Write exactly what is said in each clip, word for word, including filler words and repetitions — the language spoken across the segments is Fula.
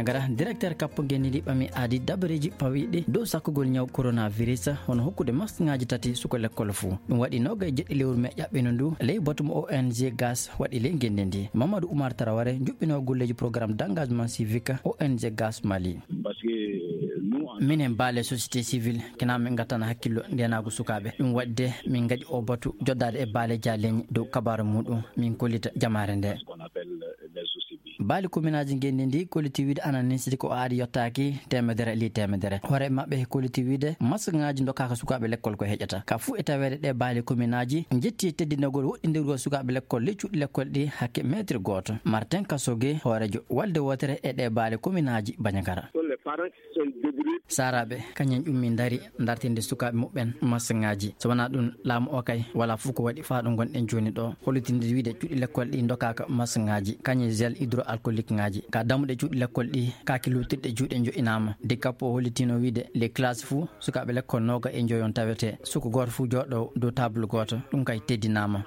Gara directeur kappo ngenndi ndi ɓami aadi dabareeji pawiiɗi dow sakkugol ñaw coronavirus, hono hokkude masŋaaji tati suka lekkol fuu. Ɗum waɗi noga e jeɗɗi lewru mee ƴaɓɓino ndu, ley batu mo O N G Gas waɗi ley ngenndi ndi. Mamadou Oumar Traoré, juɓɓinoowo golleeji programme d'engagement civique O N G Gas Mali. Minen baale société civile, kina min ngattana hakkillo ndenaagu sukaaɓe. Ɗum waɗi de min ngaɗi o batu joddaade e baale jaaleñi dow kabaaru muɗum, min kollita jamaare nde. Baali kominaaji ngenndi ndi kolliti wiide ana nisdi ko aadi yottaaki teemedere li teemedere. Hoore maɓɓe kolliti wiide masŋaaji ndokkaaka sukaaɓe lekkol ko heƴata. Ka fuu e taweede ɗe baali kominaaji njetti teddinagol woɗɗindirgol sukaaɓe lekkol ley cuuɗi lekkol ɗi hakke meetir gooto. Martin Kasoge, hooreejo walde wootere e ɗe baali kominaaji Bandiagara. Saaraaɓe, kañum ƴummi ndari dartinde sukaaɓe muɓɓen masŋaaji. So wonaa ɗum, laamu o kay walaa fof ko waɗi faa ɗo ngonɗen jooni ɗo. Hollitinde wiide cuuɗi lekkol ɗi ndokkaaka masŋaaji, kañum gel hydroalcoolique ŋaaji. Ka dammuɗe cuuɗi lekkol ɗi, kaaki luuttirɗe juuɗe njo'inaama. De kappo o hollitino wiide les classes fuu, sukaaɓe lekkol nooga e njoyon tawete. Suka gooto fuu jooɗo dow table gooto, ɗum kay teddinaama.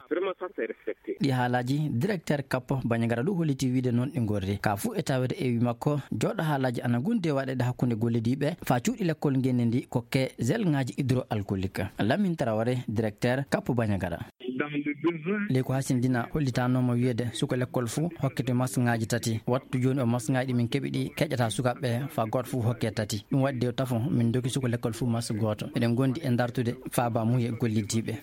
Ɗi haalaaji, directeur kappo Bandiagara ɗum holliti wiide noon ɗi ngorri. Ka fuu e tawede e wi makko, jooɗo haalaaji ana ngondi e waɗeede hakkunde gollodiiɓe faa cuuɗi lekkol ngenndi ndi kokke gel ŋaaji hydroalcoolique. Lamine Traoré, directeur kappo Bandiagara. Ley ko hasindina hollitanooma wiyeede suka lekkol fuu hokkete masŋaaji tati. Wattu jooni o masŋaaji ɗi min keɓi ɗi keƴata sukaaɓe faa gooto fuu hokke tati. Ɗum waɗi de tafo min doki suka lekkol fuu masŋ gooto. Eɗen ngondi e dartude faaba muye gollodiiɓe.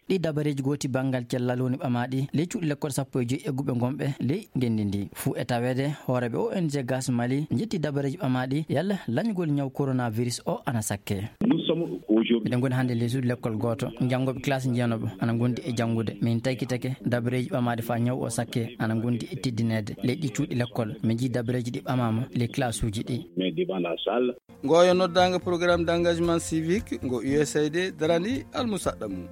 Ɗi dabareeji gooti banngal cellal woni ɓamaaɗi ley cuuɗi lekkol sappo e joy egguɓe ngonɓe ley ngenndi ndi. Fuu e taweede hooreeɓe O N G Gas Mali njetti dabareeji ɓamaaɗi yalla lañgol ñaw coronavirus o ana sakke. Miɗen ngoni hannde ley suudu lekkol gooto. Janngooɓe classe jeenooɓe ana ngondi e janngude. Min taykitake dabareeji ɓamaaɗi faa ñaw o sakke ana ngondi e teddineede. Ley ɗi cuuɗi lekkol, min njii dabareeji ɗi ɓamaama ley classe uji ɗi. Ngoyo noddaango programme d'engagement civique ngo U S A I D darani almusaɗɗa mum.